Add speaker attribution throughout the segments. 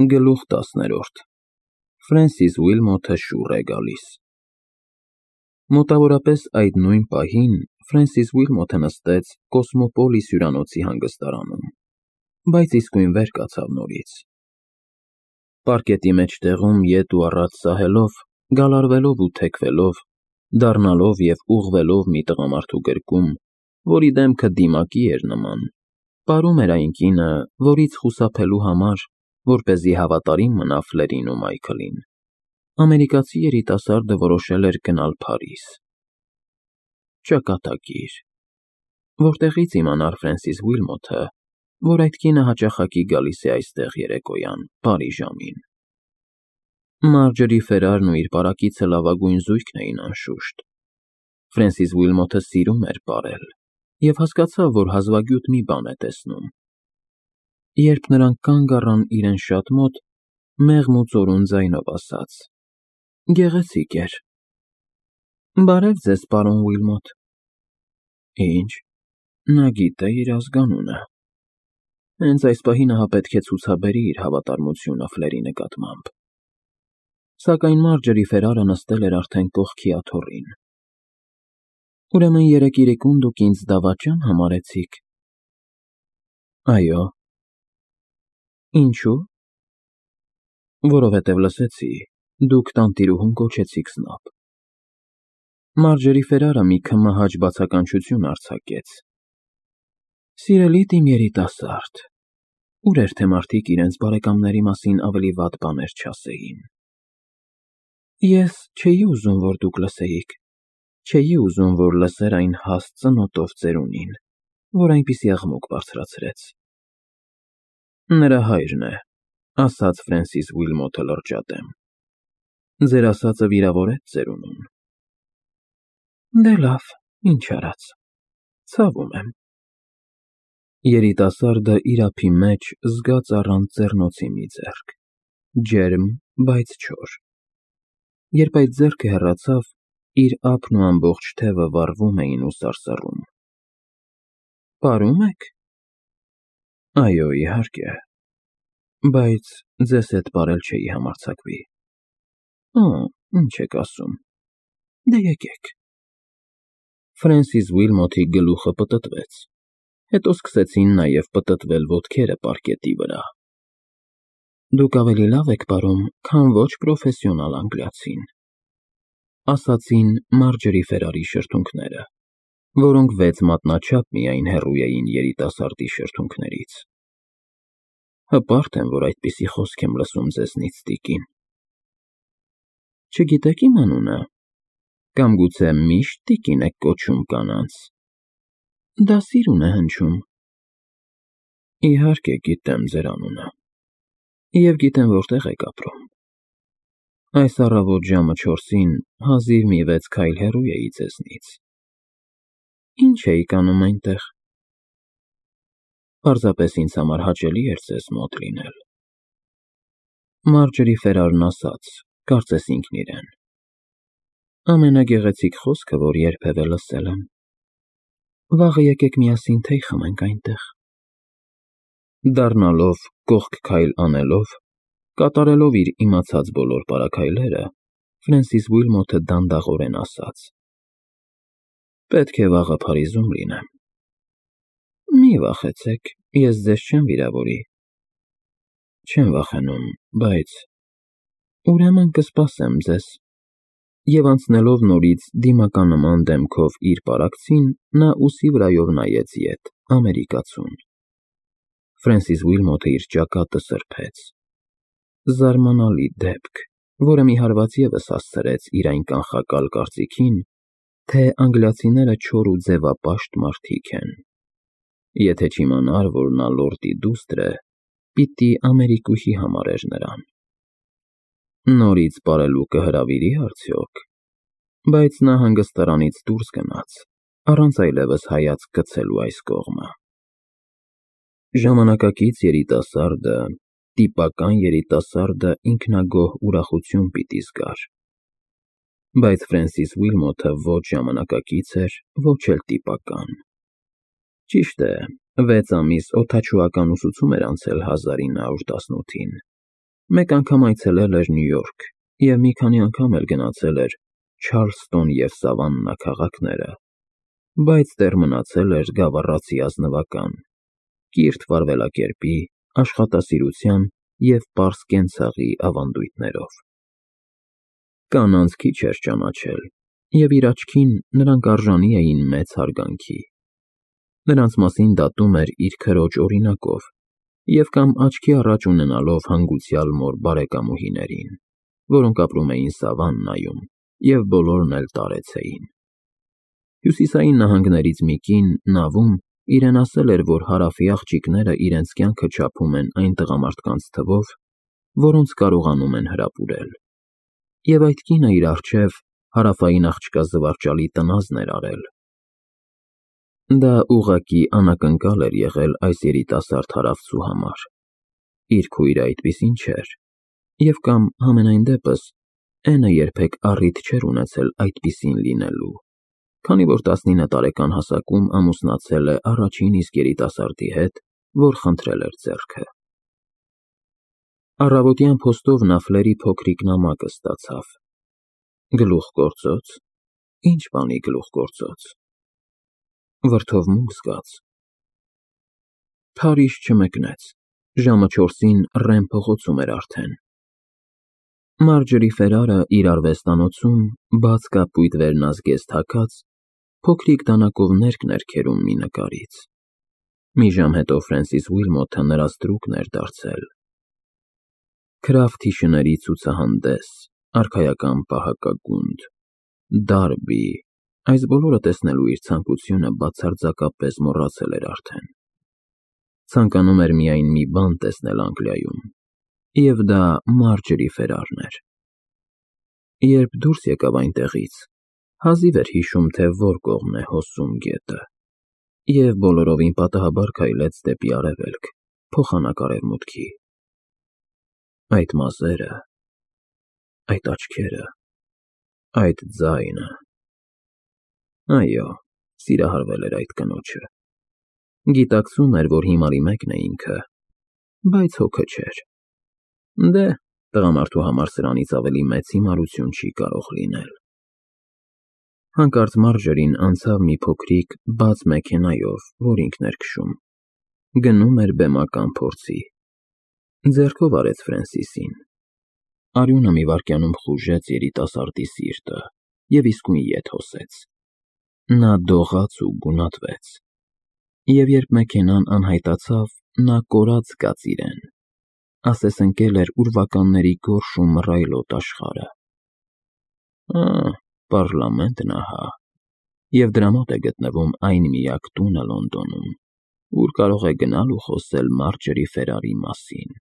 Speaker 1: Գլուխ 10 Ֆրենսիս Ուիլմոթը շուռ է գալիս։ Մոտավորապես այդ նույն պահին Ֆրենսիս Ուիլմոթը նստեց Կոսմոպոլիս հյուրանոցի հանգստարանում, բայց իսկույն վեր կացավ նորից։ Պարկետի մեջտեղում ետ ու առաջ սահելով, գալարվելով ու թեքվելով, դառնալով և ուղղվելով մի տղամարդու գրկում, որի դեմքը դիմակի էր նման, պարում էր այն կինը, որից խուսափելու համար, որպեսզի հավատարիմ մնա Ֆլերին ու Մայքլին, ամերիկացի երիտասարդը որոշել էր գնալ Փարիզ։ Ճակատագիր։ Որտեղի՞ց իմանար Ֆրենսիս Ուիլմոթը, որ այդ կինը հաճախակի գալիս է այստեղ երեկոյան, բարի ժամին։ Մարջորի Ֆերարն ու իր պարակիցը լավագույն զույգն էին անշուշտ։ Ֆրենսիս Ուիլմոթը սիրում էր պարել և հասկացավ, որ հազվագյուտ մի բան է տեսնում։ Երբ նրանք կանգ առան իրեն շատ մոտ, մեղմ ու ծորուն ձայնով ասաց. Գեղեցիկ էր։ Բարև ձեզ, պարոն Ուիլմոթ։ Ինչ, նա գիտե իր ազգանունը։ Հենց այս պահին ահա պետք է ցուցաբերի իր հավատարմությունը Ֆլերի նկատմամբ։ Սակայն Մարջորի Ֆերարը նստել էր արդեն կողքի աթոռին։ Ուրեմն երեկ իրիկուն դուք ինձ դավաճա՞ն համարեցիք։ Այո։ Ինչու՞։ Որովհետև լսեցի, դուք տանտիրուհուն կոչեցիք Սնոբ։ Մարջորի Ֆերարը մի քմահաճ բացականչություն արձակեց։ Սիրելի իմ երիտասարդ, ուր էր թե մարդիկ իրենց բարեկամների մասին ավելի վատ բաներ չասեին։ Ես չէի ուզում, որ դուք լսեիք, չէի ուզում, որ լսեր այն հաստ ծնոտով ծերունին, որ այնպիսի աղմուկ բարձրացրեց։ Նրա հայրն է, ասաց Ֆրենսիս Ուիլմոթը լրջատեմ։ Ձեր ասածը վիրավորեց ծերունուն։ Դե լավ, ինչ արած, ցավում եմ։ Երիտասարդը իր ափի մեջ զգաց առանց ձեռնոցի մի ձեռք, ջերմ, բայց չոր։ Երբ այդ ձեռքը հեռացավ, իր ափն ու ամբողջ թևը վառվում էին ու սարսռում։ Պարում եք։ Այո, իհարկե, բայց ձեզ հետ պարել չէի համարձակվի։ Ինչ եք ասում։ Դե եկեք։ Ֆրենսիս Ուիլմոթի գլուխը պտտվեց, հետո սկսեցին նաև պտտվել ոտքերը պարկետի վրա։ Դուք ավելի լավ եք պարում, քան ոչ պրոֆեսիոնալ անգլիացին, ասացին Մարջորի Ֆերարի շրթունքները, որոնք 6 մատնաչափ միայն հեռու էին երիտասարդի շրթունքներից։ Հպարտ եմ, որ այդպիսի խոսք եմ լսում ձեզնից, տիկին։ Չգիտեք իմ անունը, կամ գուցե միշտ տիկին եք կոչում կանանց։ Դա սիրուն է հնչում։ Իհարկե գիտեմ ձեր անունը, և գիտեմ որտեղ եք ապրում։ Այս առավոտ ժամը 4-ին հազիվ մի 6 քայլ հեռու էի ձեզնից։ Ինչ էիք անում այնտեղ։ Պարզապես ինձ համար հաճելի էր ձեզ մոտ լինել։ Մարջորի Ֆերարն ասաց, կարծես ինքն իրեն. Ամենագեղեցիկ խոսքը, որ երբևէ լսել եմ։ Վաղը եկեք միասին թեյ խմենք այնտեղ։ Դառնալով, կողք քայլ անելով, կատարելով իր իմացած բոլոր պարաքայլերը, Ֆրենսիս Ուիլմոթը դանդաղորեն ասաց. Պետք է վաղը Փարիզում լինեմ։ Մի վախեցեք, ես ձեզ չեմ վիրավորի։ Չեմ վախենում, բայց… Ուրեմն կսպասեմ ձեզ։ Եվ անցնելով նորից դիմականման դեմքով իր պարակցին, նա ուսի վրայով նայեց ետ, ամերիկացուն։ Ֆրենսիս Ուիլմոթը իր ճակատը սրբեց։ Զարմանալի դեպք, որը մի հարված ևս հասցրեց իր այն կանխակալ կարծիքին, թե անգլիացիները չոր ու ձևապաշտ մարդիկ են։ Եթե չիմանար, որ նա լորդի դուստր է, պիտի ամերիկուհի համարեր նրան։ Նորից պարելու կհրավիրի՞ արդյոք։ Բայց նա հանգստարանից դուրս գնաց, առանց այլևս հայացք գցելու այս կողմը։ Ժամանակակից երիտասարդը, տիպական երիտասարդը ինքնագոհ ուրախություն պիտի զգար։ Բայց Ֆրենսիս Ուիլմոթը ոչ ժամանակակից էր, ոչ էլ տիպական։ Ճիշտ է, 6 ամիս օդաչուական ուսուցում էր անցել 1918-ին, Մեկ անգամ այցելել էր Նյու Յորք և մի քանի անգամ էլ գնացել էր Չարլստոն և Սավաննա քաղաքները, բայց դեռ մնացել էր գավառացի ազնվական, կիրթ վարվելակերպի, աշխատասիրության և պարզ կենցաղի ավանդույթներով։ Կանանց քիչ էր ճանաչել, և իր աչքին նրանք արժանի էին մեծ հարգանքի։ Նրանց մասին դատում էր իր քրոջ օրինակով և կամ աչքի առաջ ունենալով հանգուցյալ մոր բարեկամուհիներին, որոնք ապրում էին Սավաննայում և բոլորն էլ տարեց էին։ Հյուսիսային նահանգներից մի կին նավում իրեն ասել էր, որ հարավի աղջիկները իրենց կյանքը չափում են այն տղամարդկանց թվով, որոնց կարողանում են հրապուրել, և այդ կինը իր առջև հարավային աղջկա զվարճալի տնազն էր արել։ Դա ուղղակի անակնկալ էր եղել այս երիտասարդ հարավցու համար։ Իր քույրը այդպիսին չէր, և կամ համենայն դեպս Էնը երբեք առիթ չէր ունեցել այդպիսին լինելու, քանի որ 19 տարեկան հասակում ամուսնացել է առաջին իսկ երիտասարդի հետ, որ խնդրել էր ձեռքը։ Առավոտյան փոստով նա Ֆլերի փոքրիկ նամակը ստացավ։ Գլուխգործո՞ց։ Ինչ բանի գլուխգործոց։ Վրդովմունք զգաց։ Փարիզ չմեկնեց։ Ժամը 4-ին Ռեմ փողոցում էր արդեն։ Մարջերի Ֆերարը իր արվեստանոցում, բաց կապույտ վերնազգեստ հագած, փոքրիկ դանակով ներքն էր քերում մի նկարից։ Մի ժամ հետո Ֆրենսիս Ուիլմոթը նրա ստրուկն էր դարձել։ Քրաֆթի շների ցուցահանդես, արքայական պահակագունդ, Դարբի, այս բոլորը տեսնելու իր ցանկությունը բացարձակապես մոռացել էր արդեն։ Ցանկանում էր միայն մի բան տեսնել Անգլիայում, և դա Մարջերի Ֆերարն էր։ Երբ դուրս եկավ այնտեղից, հազիվ էր հիշում, թե որ կողմն է հոսում գետը, և բոլորովին պատահաբար քայլեց դեպի արևելք, փոխանակ արևմուտքի։ Այդ մազերը, այդ աչքերը, այդ ձայնը… Այո, սիրահարվել էր այդ կնոջը։ Գիտակցում էր, որ հիմարի մեկն է ինքը, բայց հոգը չէր։ Դե, տղամարդու համար սրանից ավելի մեծ հիմարություն չի կարող լինել։ Հանկարծ Մարջերին անցավ մի փոքրիկ բաց մեքենայով, որ ինքն էր քշում։ Գնում էր բեմական փորձի։ Ձեռքով արեց Ֆրենսիսին։ Արյունը մի վայրկյանում խուժեց երիտասարդի սիրտը և իսկույն ետ հոսեց։ Նա դողաց ու գունատվեց։ Եվ երբ մեքենան անհայտացավ, նա կորած զգաց իրեն, ասես ընկել էր ուրվականների գորշ ու մռայլոտ աշխարհը։ Պառլամենտն ահա, և դրա մոտ է գտնվում այն միակ տունը Լոնդոնում, ուր կարող է գնալ ու խոսել Մարջերի Ֆերարի մասին։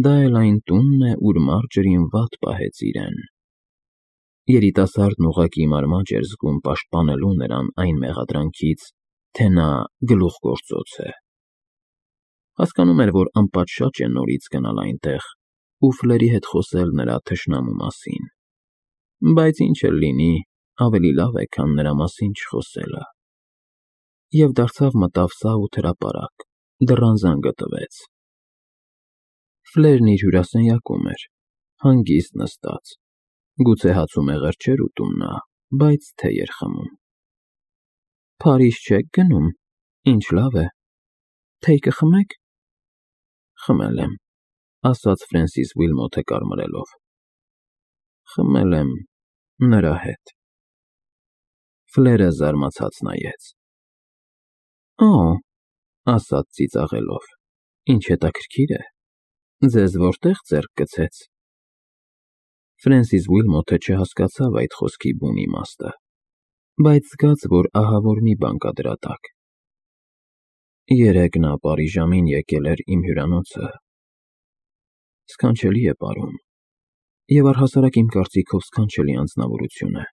Speaker 1: Դա էլ այն տունն է, ուր Մարջերին վատ պահեց իրեն։ Երիտասարդն ուղղակի մարմաջ էր զգում պաշտպանելու նրան այն մեղադրանքից, թե նա գլուխգործոց է։ Հասկանում էր, որ անպատշաճ է նորից գնալ այնտեղ ու Ֆլերի հետ խոսել նրա թշնամու մասին, բայց ինչ էլ լինի, ավելի լավ է, քան նրա մասին չխոսելը։ Եվ դարձավ մտավ սաղ ու հրապարակ, դռան զանգը տվեց։ Ֆլերն իր հյուրասենյակում էր, հանգիստ նստած, գուցե հաց ու մեղր չէր ուտում նա, բայց թեյ էր խմում։ Փարիզ չեք գնում, ինչ լավ է, թեյ կխմեք։ Խմել եմ, ասաց Ֆրենսիս Ուիլմոթը կարմրելով։ Խմել եմ նրա հետ։ Ֆլերը զարմացած նայեց։ Ասաց ծիծաղելով, ինչ հետաքրքիր է, ձեզ որտեղ ձեռք գցեց։ Ֆրենսիս Ուիլմոթը չհասկացավ այդ խոսքի բուն իմաստը, բայց զգաց, որ ահավոր մի բան կա դրա տակ։ Երեկ նա Պարիժամին եկել էր իմ հյուրանոցը։ Սքանչելի է պարում, և առհասարակ իմ կարծիքով սքանչելի անձնավորություն է։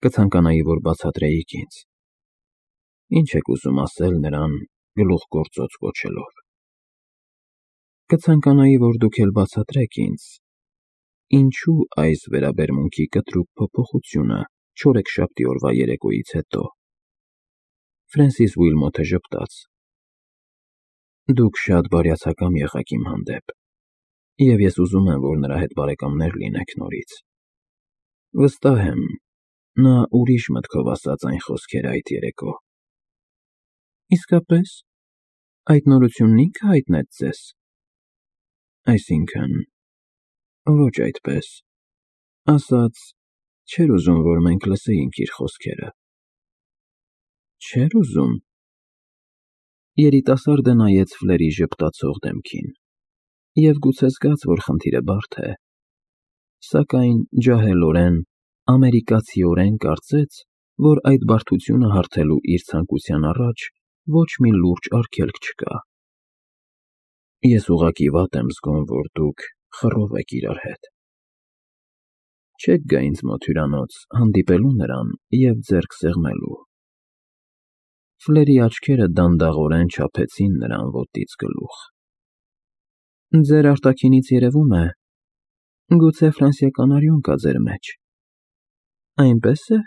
Speaker 1: Կցանկանայի, որ բացատրեիք ինձ։ Ինչ եք ուզում ասել նրան գլուխգործոց կոչելով։ Կցանկանայի, որ դուք էլ բացատրեք ինձ, ինչու այս վերաբերմունքի կտրուկ փոփոխությունը չորեքշաբթի օրվա երեկոյից հետո։ Ֆրենսիս Ուիլմոթը ժպտաց։ Դուք շատ բարյացակամ եղաք իմ հանդեպ, Եվ ես ուզում եմ, որ նրա հետ բարեկամներ լինեք նորից։ Վստահ եմ, նա ուրիշ մտքով ասաց այն խոսքերը այդ երեկո։ Իսկապես, այդ նորությունն ինքը հայտնեց ձեզ։ Այսինքն, ոչ այդպես։ Ասաց, չէր ուզում, որ մենք լսեինք իր խոսքերը։ Չէր ուզում։ Երիտասարդը նայեց Ֆլերի ժպտացող դեմքին, և գուցե զգաց, որ խնդիրը բարդ է, սակայն ջահելորեն, ամերիկացիորեն կարծեց, որ այդ բարդությունը հարթելու իր ցանկության առաջ ոչ մի լուրջ արգելք չկա։ Ես ուղղակի վատ եմ զգում, որ դուք խռով եք իրար հետ։ Չեք գա ինձ մոտ հյուրանոց հանդիպելու նրան և ձեռք սեղմելու։ Ֆլերի աչքերը դանդաղորեն չափեցին նրան ոտից գլուխ։ Ձեր արտաքինից երևում է, գուցե ֆրանսիական արյուն կա ձեր մեջ։ Այնպես է։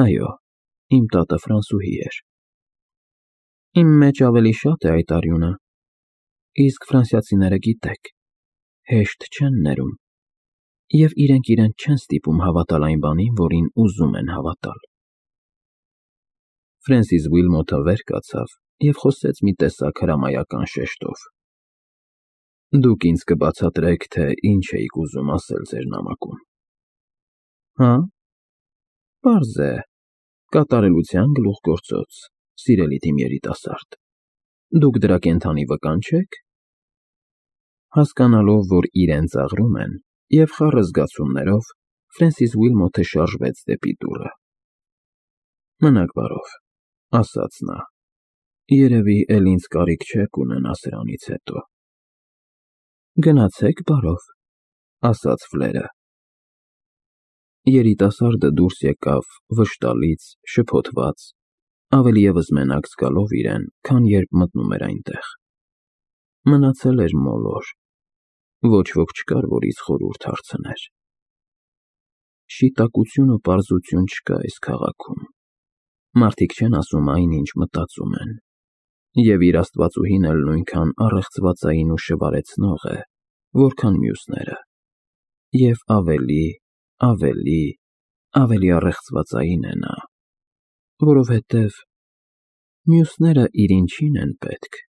Speaker 1: Այո, իմ տատը ֆրանսուհի էր։ Իմ մեջ ավելի շատ է այդ արյունը, իսկ ֆրանսիացիները գիտեք, հեշտ չեն ներում, և իրենք իրենց չեն ստիպում հավատալ այն բանին, որին ուզում են հավատալ։ Ֆրենսիս Ուիլմոթը վեր կացավ և խոսեց մի տեսակ հրամայական շեշտով։ Դուք ինձ կբացատրեք, թե ինչ էիք ուզում ասել ձեր նամակում։ Հա՞։ Պարզ է, կատարելության գլուխգործոց, սիրելի թիմ երիտասարդ։ Դուք դրա կենդանի վկան չեք։ Հասկանալով, որ իրեն ծաղրում են, և խառը զգացումներով, Ֆրենսիս Ուիլմոթը շարժվեց դեպի դուռը։ Մնաք բարով, ասաց նա, երևի էլ ինձ կարիք չեք ունենա սրանից հետո։ Գնացեք բարով, ասաց Ֆլերը։ Երիտասարդը դուրս եկավ վշտալից, շփոթված, ավելի ևս մենակ զգալով իրեն, քան երբ մտնում էր այնտեղ։ Մնացել էր մոլոր, ոչ ոք չկար, որից խորհուրդ հարցներ։ Շիտակություն ու պարզություն չկա այս քաղաքում։ Մարդիկ չեն ասում այն, ինչ մտածում են, և իր աստվածուհին էլ նույնքան առեղծվածային ու շվարեցնող է, որքան մյուսները, և ավելի առեղծվածային է նա, որովհետև մյուսները իր ինչին են պետք։